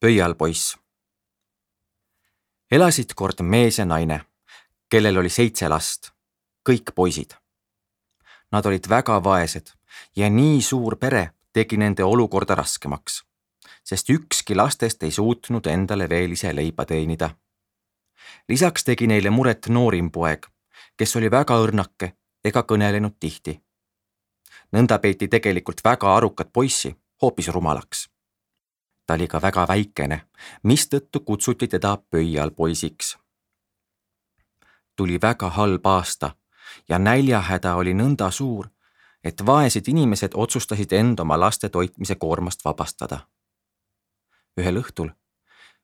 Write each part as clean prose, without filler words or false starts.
Pöialpoiss. Elasid kord mees ja naine, kellel oli 7 last, kõik poisid. Nad olid väga vaesed ja nii suur pere tegi nende olukorda raskemaks, sest ükski lastest ei suutnud endale veel ise leiba teenida. Lisaks tegi neile muret noorim poeg, kes oli väga õrnake ega kõnelenud tihti. Nõnda peeti tegelikult väga arukat poissi hoopis rumalaks. Ta oli ka väga väikene, mistõttu kutsuti teda pöialpoisiks. Tuli väga halb aasta ja näljahäda oli nõnda suur, et vaesed inimesed otsustasid end oma laste toitmise koormast vabastada. Ühel õhtul,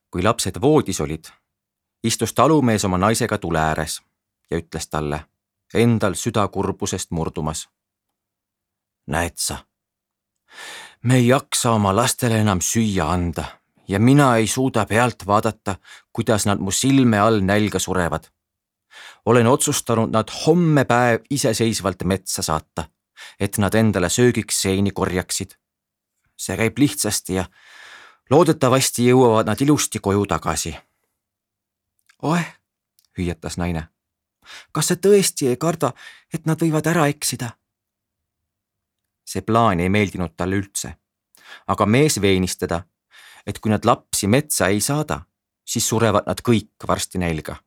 kui lapsed voodis olid, istus talumees oma naisega tule ääres ja ütles talle, endal süda kurbusest murdumas. Näed sa, me ei jaksa oma lastele enam süüa anda ja mina ei suuda pealt vaadata, kuidas nad mu silme all nälga surevad. Olen otsustanud nad homme päev iseseisvalt metsa saata, et nad endale söögiks seeni korjaksid. See käib lihtsasti ja loodetavasti jõuavad nad ilusti koju tagasi. Oeh, hüüatas naine. Kas sa tõesti ei karda, et nad võivad ära eksida? See plaan ei meeldinud talle üldse, aga mees veenis teda, et kui nad lapsi metsa ei saada, siis surevad nad kõik varsti nälga.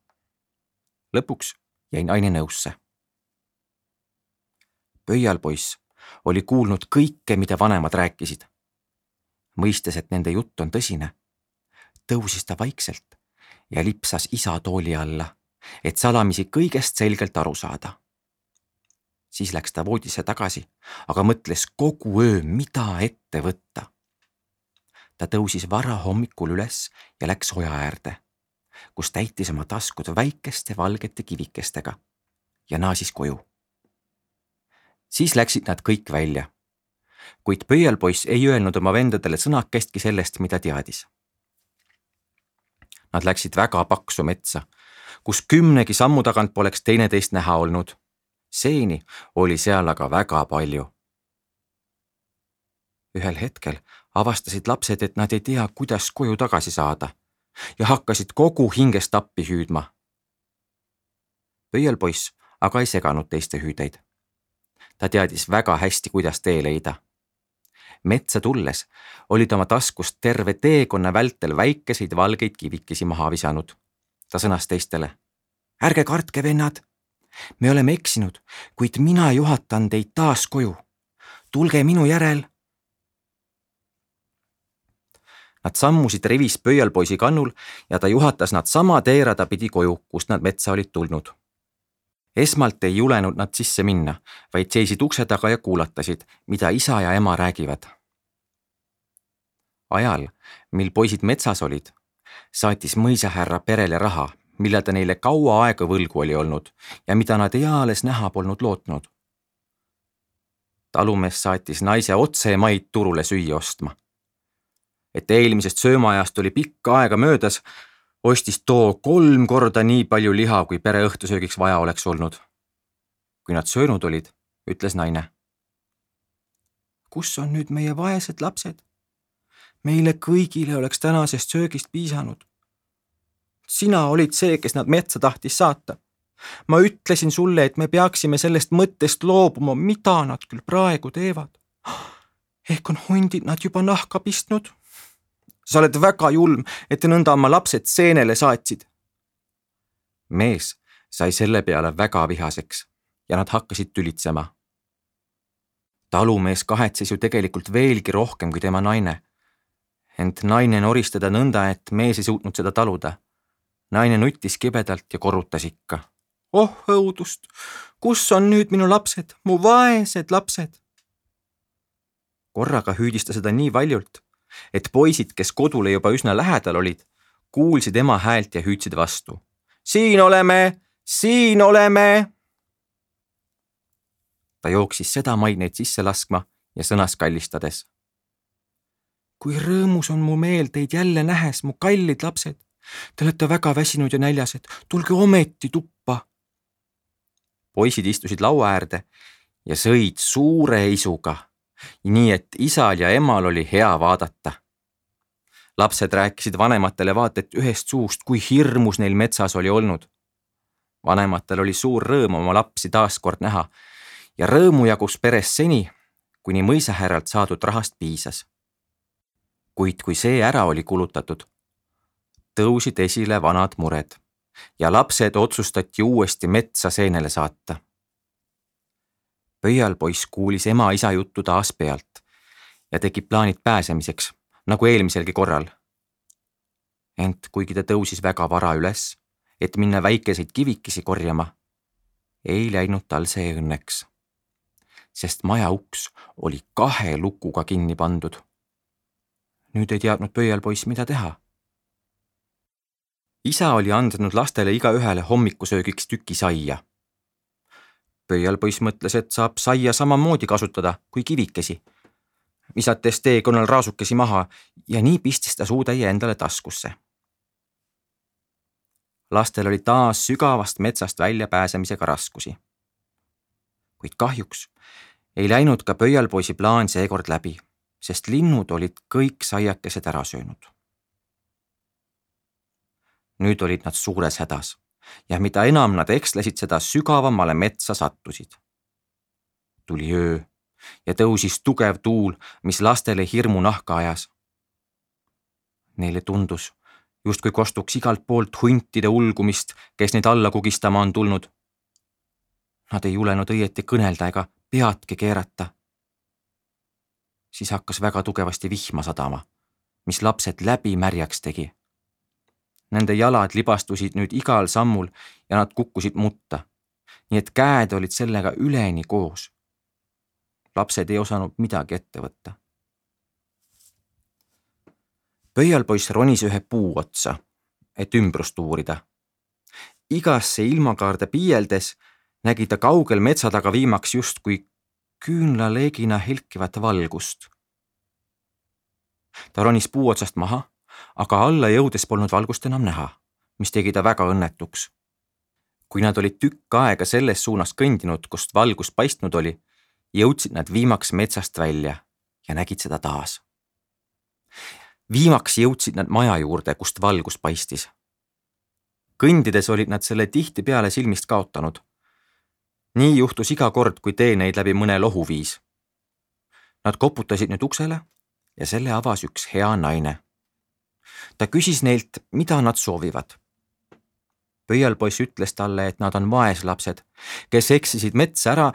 Lõpuks jäi naine nõusse. Pöialpoiss oli kuulnud kõike, mida vanemad rääkisid. Mõistes, et nende jutt on tõsine, tõusis ta vaikselt ja lipsas isa tooli alla, et salamisi kõigest selgelt aru saada. Siis läks ta voodisse tagasi, aga mõtles kogu öö, mida ette võtta. Ta tõusis vara hommikul üles ja läks oja äärde, kus täitis oma taskud väikeste valgete kivikestega ja naasis koju. Siis läksid nad kõik välja, kuid pöialpoiss ei öelnud oma vendadele sõnakestki sellest, mida teadis. Nad läksid väga paksu metsa, kus 10 sammu tagant poleks teineteist näha olnud. Seeni oli seal aga väga palju. Ühel hetkel avastasid lapsed, et nad ei tea, kuidas koju tagasi saada ja hakkasid kogu hingest appi hüüdma. Pöialpoiss aga ei seganud teiste hüüdeid. Ta teadis väga hästi, kuidas tee leida. Metsa tulles olid oma taskust terve teekonna vältel väikeseid valgeid kivikesi maha visanud. Ta sõnas teistele. Ärge kartke, vennad! Me oleme eksinud, kuid mina juhatan teid taas koju. Tulge minu järel. Nad sammusid rivis pöialpoisi kannul ja ta juhatas nad sama teerada pidi koju, kust nad metsa olid tulnud. Esmalt ei julenud nad sisse minna, vaid seisid ukse taga ja kuulatasid, mida isa ja ema räägivad. Ajal, mil poisid metsas olid, saatis mõisahärra perele raha, mille ta neile kaua aega võlgu oli olnud ja mida nad eales näha polnud lootnud. Talumees saatis naise otse maid turule süüa ostma. Et eelmisest söömaajast oli pikka aega möödas, ostis too 3 korda nii palju liha, kui pere õhtusöögiks vaja oleks olnud. Kui nad söönud olid, ütles naine. Kus on nüüd meie vaesed lapsed? Meile kõigile oleks tänasest söögist piisanud. Sina olid see, kes nad metsa tahtis saata. Ma ütlesin sulle, et me peaksime sellest mõttest loobuma, mida nad küll praegu teevad. Ehk on hundid nad juba nahka pistnud? Sa oled väga julm, et nõnda oma lapsed seenele saatsid. Mees sai selle peale väga vihaseks ja nad hakkasid tülitsema. Talumees kahetses ju tegelikult veelgi rohkem kui tema naine. Ent naine noris teda nõnda, et mees ei suutnud seda taluda. Naine nuttis kibedalt ja korrutas ikka. Oh õudust, kus on nüüd minu lapsed, mu vaesed lapsed? Korraga hüüdis ta seda nii valjult, et poisid, kes kodule juba üsna lähedal olid, kuulsid ema häält ja hüüdsid vastu. Siin oleme, siin oleme! Ta jooksis seda maineid sisse laskma ja sõnas kallistades. Kui rõõmus on mu meel teid jälle nähes, mu kallid lapsed. Te olete väga väsinud ja näljased, tulge ometi tuppa. Poisid istusid laua äärde ja sõid suure isuga, nii et isal ja emal oli hea vaadata. Lapsed rääkisid vanematele vaat et ühest suust, kui hirmus neil metsas oli olnud. Vanematel oli suur rõõm oma lapsi taas kord näha ja rõõmu jagus peres seni, kuni mõisahärralt saadud rahast piisas. Kuid kui see ära oli kulutatud, tõusid esile vanad mured ja lapsed otsustati uuesti metsa seenele saata. Pöialpoiss kuulis ema-isa juttu taas pealt ja tegi plaanid pääsemiseks, nagu eelmiselgi korral. Ent kuigi ta tõusis väga vara üles, et minna väikeseid kivikesi korjama, ei läinud tal see õnneks, sest maja uks oli 2 lukuga kinni pandud. Nüüd ei teadnud pöialpoiss, mida teha. Isa oli andnud lastele igaühele hommikusöögiks tüki saia. Pöialpoiss mõtles, et saab saia samamoodi kasutada kui kivikesi, visates teekonnal raasukesi maha ja nii pistis ta suutäie endale taskusse. Lastel oli taas sügavast metsast välja pääsemisega raskusi. Kuid kahjuks ei läinud ka pöialpoisi plaan seekord läbi, sest linnud olid kõik saiakesed ära söönud. Nüüd olid nad suures hädas ja mida enam nad ekslesid, seda sügavamale metsa sattusid. Tuli öö ja tõusis tugev tuul, mis lastele hirmu nahka ajas. Neile tundus, justkui kostuks igalt poolt huntide ulgumist, kes neid alla kugistama on tulnud. Nad ei julenud õieti kõnelda ega peadki keerata. Siis hakkas väga tugevasti vihma sadama, mis lapsed läbi märjaks tegi. Nende jalad libastusid nüüd igal sammul ja nad kukkusid mutta, nii et käed olid sellega üleni koos. Lapsed ei osanud midagi ette võtta. Pöialpoiss ronis ühe puu otsa, et ümbrust uurida. Igasse ilmakaarde piieldes nägi ta kaugel metsa taga viimaks justkui küünlaleegina helkivat valgust. Ta ronis puu otsast maha, aga alla jõudes polnud valgust enam näha, mis tegi ta väga õnnetuks. Kui nad olid tükk aega selles suunas kõndinud, kust valgus paistnud oli, jõudsid nad viimaks metsast välja ja nägid seda taas. Viimaks jõudsid nad maja juurde, kust valgus paistis. Kõndides olid nad selle tihti peale silmist kaotanud. Nii juhtus iga kord, kui tee neid läbi mõne lohu viis. Nad koputasid nüüd uksele ja selle avas üks hea naine. Ta küsis neilt, mida nad soovivad. Pöialpoiss ütles talle, et nad on vaeslapsed, kes eksisid metsa ära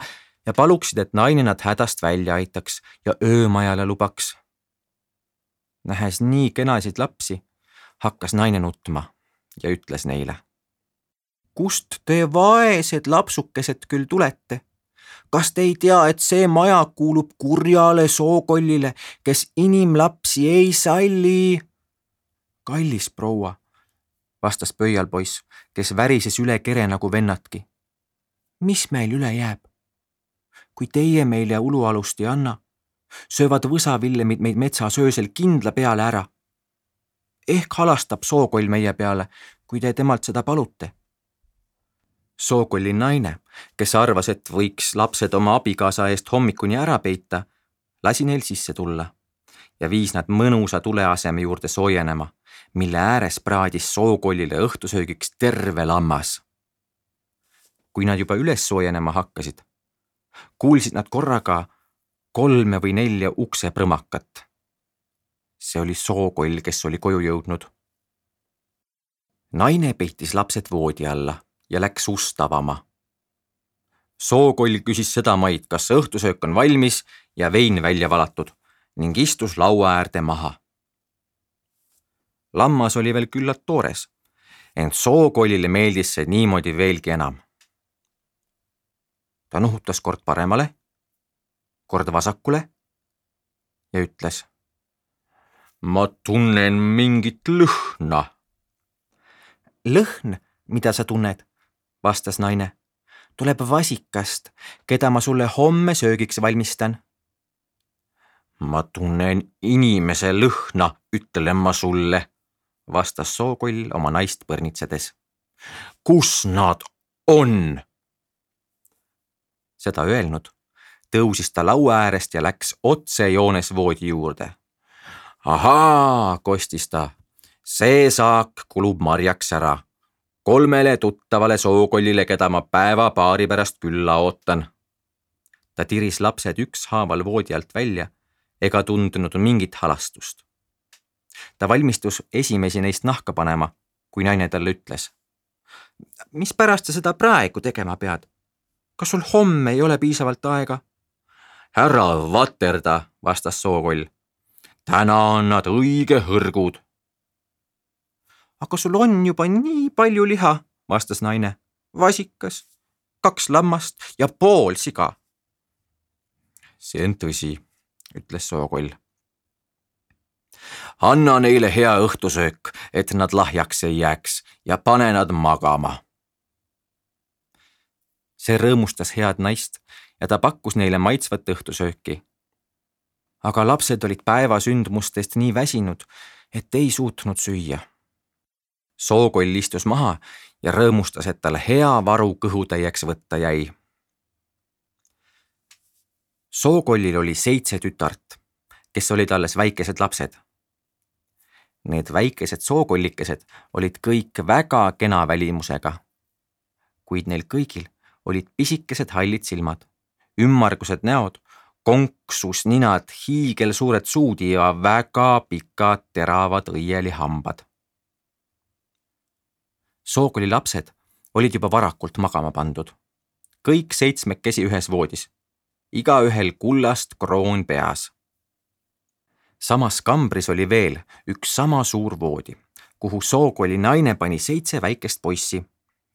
ja paluksid, et naine nad hädast välja aitaks ja öömajale lubaks. Nähes nii kenasid lapsi, hakkas naine nutma ja ütles neile. Kust te vaesed lapsukesed küll tulete? Kas te ei tea, et see maja kuulub kurjale sookollile, kes inimlapsi ei salli? Kallis proua, vastas pöialpoiss, kes värises üle kere nagu vennatki. Mis meil üle jääb? Kui teie meile ulualust ei anna, söövad võsavillemid meid metsas öösel kindla peale ära. Ehk halastab sookoll meie peale, kui te temalt seda palute. Sookolli naine, kes arvas, et võiks lapsed oma abikaasa eest hommikuni ära peita, lasi neil sisse tulla ja viis nad mõnusa tuleaseme juurde soojenema, mille ääres praadis sookollile õhtusöögiks terve lammas. Kui nad juba üles soojenema hakkasid, kuulsid nad korraga 3 või 4 ukse prõmakat. See oli sookoll, kes oli koju jõudnud. Naine peitis lapsed voodi alla ja läks ust avama. Sookoll küsis seda maid, kas õhtusöök on valmis ja vein välja valatud ning istus laua äärde maha. Lammas oli veel küllalt toores, ent sookollile meeldis see niimoodi veelgi enam. Ta nuhutas kord paremale, kord vasakule ja ütles. Ma tunnen mingit lõhna. Lõhn, mida sa tunned, vastas naine, tuleb vasikast, keda ma sulle homme söögiks valmistan. Ma tunnen inimese lõhna, ütlen ma sulle, vastas sookoll oma naist põrnitsedes. Kus nad on? Seda öelnud, tõusis ta laua äärest ja läks otsejoones voodi juurde. Ahaa, kostis ta. See saak kulub marjaks ära. 3 tuttavale sookollile, keda ma päeva-paari pärast külla ootan. Ta tiris lapsed ükshaaval voodi alt välja ega tundunud mingit halastust. Ta valmistus esimesi neist nahka panema, kui naine talle ütles. Mis pärast sa seda praegu tegema pead? Kas sul homme ei ole piisavalt aega? Härra vaterda, vastas sookoll. Täna on nad õige hõrgud. Aga sul on juba nii palju liha, vastas naine. Vasikas, 2 lammast ja pool siga. See on tõsi, ütles sookoll. Anna neile hea õhtusöök, et nad lahjaks ei jääks ja pane nad magama. See rõõmustas head naist ja ta pakkus neile maitsvat õhtusööki. Aga lapsed olid päeva sündmustest nii väsinud, et ei suutnud süüa. Sookoll istus maha ja rõõmustas, et tal hea varu kõhutäieks võtta jäi. Sookollil oli 7 tütart, kes olid alles väikesed lapsed. Need väikesed sookollikesed olid kõik väga kena välimusega, kuid neil kõigil olid pisikesed hallid silmad, ümmargused näod, konksus ninad, hiigelsuured suud ja väga pikad teravad õielihambad. Sookolli lapsed olid juba varakult magama pandud. Kõik 7 ühes voodis, igaühel kullast kroon peas. Samas kambris oli veel üks sama suur voodi, kuhu sookolli naine pani 7 väikest poissi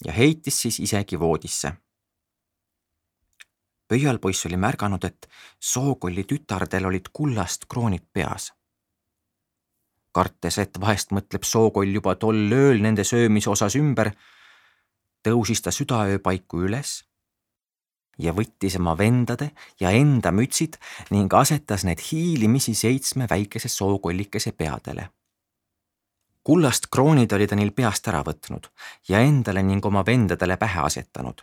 ja heitis siis isegi voodisse. Pöialpoiss oli märganud, et sookolli tütardel olid kullast kroonid peas. Kartes, et vahest mõtleb sookoll juba tol ööl nende söömise osas ümber, tõusis ta südaöö paiku üles ja võttis oma vendade ja enda mütsid ning asetas need hiilimisi 7 väikese sookollikese peadele. Kullast kroonid oli ta neil peast ära võtnud ja endale ning oma vendadele pähe asetanud,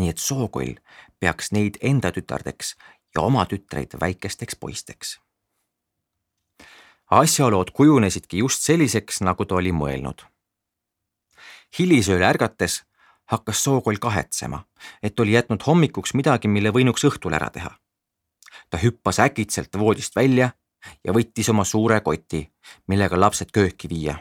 nii et sookoll peaks neid enda tütardeks ja oma tütreid väikesteks poisteks. Asjaolood kujunesidki just selliseks, nagu ta oli mõelnud. Hilisööl ärgates hakkas sookoll kahetsema, et oli jätnud hommikuks midagi, mille võinuks õhtul ära teha. Ta hüppas äkitselt voodist välja ja võttis oma suure koti, millega lapsed kööki viia.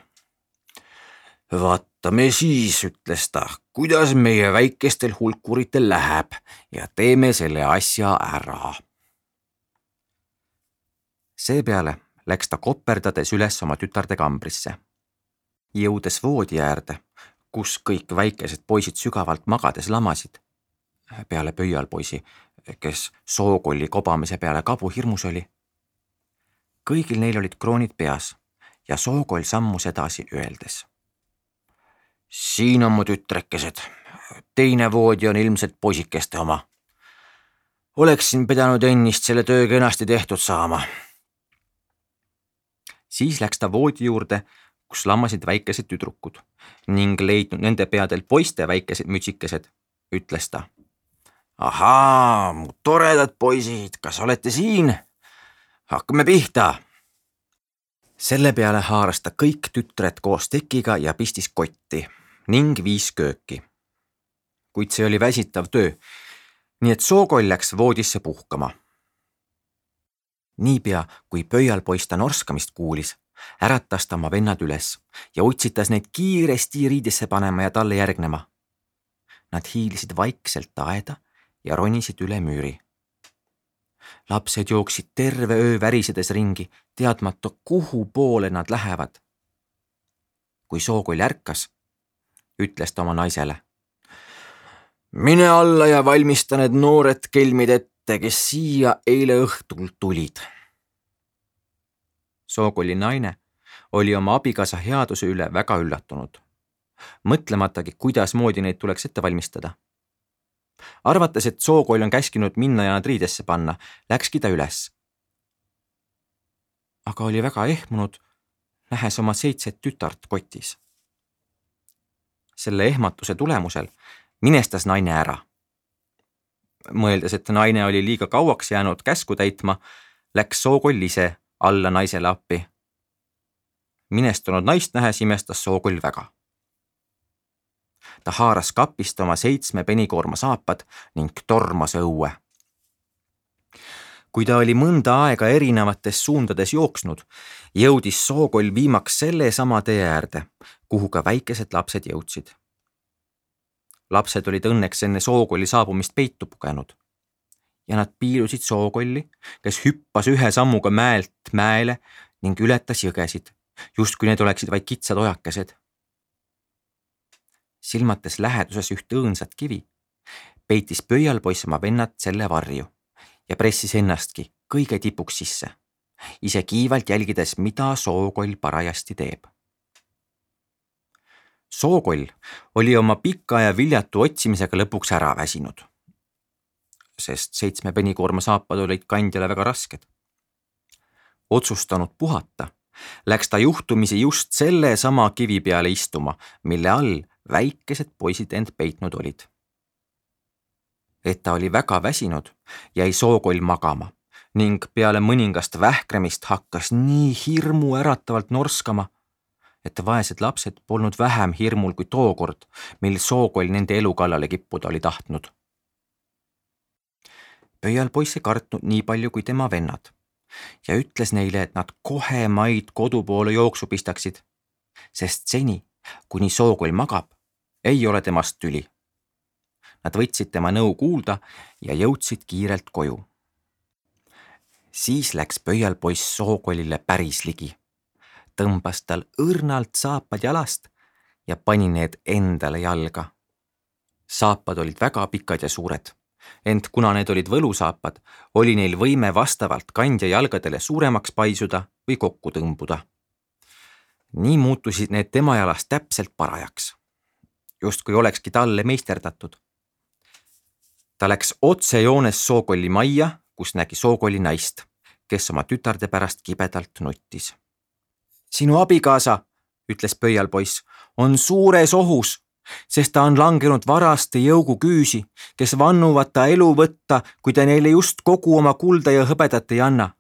Vaatame siis, ütles ta, kuidas meie väikestel hulkuritel läheb ja teeme selle asja ära. Seepeale läks ta koperdades üles oma tütarde kambrisse. Jõudes voodi äärde, kus kõik väikesed poisid sügavalt magades lamasid, peale pöialpoisi, kes sookolli kobamise peale kabu hirmus oli. Kõigil neil olid kroonid peas ja sookoll sammus edasi öeldes. Siin on mu tütrekesed, teine voodi on ilmselt poisikeste oma. Oleksin pidanud ennist selle töö kenasti tehtud saama. Siis läks ta voodi juurde, kus lamasid väikesed tüdrukud ning leidnud nende peadel poiste väikesed mütsikesed, ütles ta. Ahaa, mu toredad poisid, kas olete siin? Hakkame pihta. Selle peale haaras ta kõik tütred koos tekiga ja pistis kotti ning viis kööki. Kuid see oli väsitav töö, nii et sookoll läks voodisse puhkama. Niipea, kui pöialpoiss ta norskamist kuulis, äratas ta oma vennad üles ja utsitas neid kiiresti riidesse panema ja talle järgnema. Nad hiilisid vaikselt aeda ja ronisid üle müüri. Lapsed jooksid terve öö värisedes ringi, teadmata, kuhu poole nad lähevad. Kui sookoll ärkas, ütles ta oma naisele. Mine alla ja valmista need noored kelmid ette, kes siia eile õhtul tulid. Sookolli naine oli oma abikaasa headuse üle väga üllatunud, mõtlematagi, kuidas moodi neid tuleks ette valmistada. Arvates, et sookoll on käskinud minna ja nad riidesse panna, läkski ta üles. Aga oli väga ehmunud, nähes oma 7 tütart kotis. Selle ehmatuse tulemusel minestas naine ära. Mõeldes, et naine oli liiga kauaks jäänud käsku täitma, läks sookoll ise alla naisele appi minestunud naist nähes imestas Sookoll väga. Ta haaras kapist oma 7 penikoorma saapad ning tormas õue. Kui ta oli mõnda aega erinevates suundades jooksnud, jõudis Sookoll viimaks selle sama tee äärde, kuhu ka väikesed lapsed jõudsid. Lapsed olid õnneks enne Sookolli saabumist peitu pugenud ja nad piilusid Sookolli, kes hüppas ühe sammuga mäelt mäele ning ületas jõgesid, justkui need oleksid vaid kitsad ojakesed. Silmates läheduses üht õõnsat kivi, peitis pöialpoiss oma vennad selle varju ja pressis ennastki kõige tipuks sisse, ise kiivalt jälgides, mida Sookoll parajasti teeb. Sookoll oli oma pika ja viljatu otsimisega lõpuks ära väsinud, sest 7 penikoorma saapad olid kandjale väga rasked. Otsustanud puhata, läks ta juhtumisi just selle sama kivi peale istuma, mille all väikesed poisid end peitnud olid. Et ta oli väga väsinud, jäi Sookoll magama ning peale mõningast vähkremist hakkas nii hirmu äratavalt norskama, et vaesed lapsed polnud vähem hirmul kui tookord, mil Sookoll nende elu kallale kippuda oli tahtnud. Pöialpoiss ei kartnud nii palju kui tema vennad ja ütles neile, et nad kohe maid kodu poole jooksu pistaksid, sest seni, kuni Sookoll magab, ei ole temast tüli. Nad võtsid tema nõu kuulda ja jõudsid kiirelt koju. Siis läks pöialpoiss Sookollile päris ligi, tõmbas tal õrnalt saapad jalast ja pani need endale jalga. Saapad olid väga pikad ja suured, ent kuna need olid võlusaapad, oli neil võime vastavalt kandja jalgadele suuremaks paisuda või kokku tõmbuda. Nii muutusid need tema jalast täpselt parajaks, justkui olekski talle meisterdatud. Ta läks otsejoones Sookolli majja, kus nägi Sookolli naist, kes oma tütarde pärast kibedalt nuttis. Sinu abikaasa, ütles pöialpoiss, on suures ohus, sest ta on langenud varaste jõugu küüsi, kes vannuvad ta elu võtta, kui ta neile just kogu oma kulda ja hõbedat ei anna.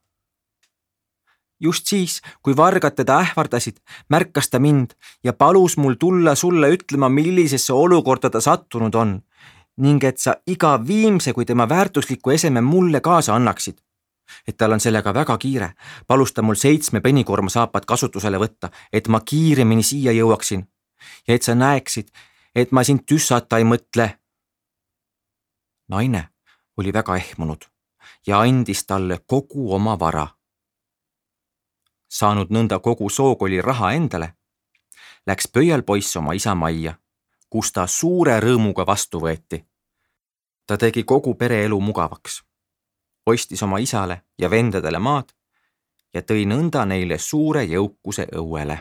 Just siis, kui vargad teda ähvardasid, märkas ta mind ja palus mul tulla sulle ütlema, millisesse olukorda ta sattunud on ning et sa iga viimse kui tema väärtusliku eseme mulle kaasa annaksid. Et tal on sellega väga kiire, palus ta mul 7 penikoorma saapad kasutusele võtta, et ma kiiremini siia jõuaksin ja et sa näeksid, et ma sind tüssata ei mõtle. Naine oli väga ehmunud ja andis talle kogu oma vara. Saanud nõnda kogu Sookolli raha endale, läks pöialpoiss oma isa majja, kus ta suure rõõmuga vastu võeti. Ta tegi kogu pere elu mugavaks, ostis oma isale ja vendadele maad ja tõi nõnda neile suure jõukuse õuele.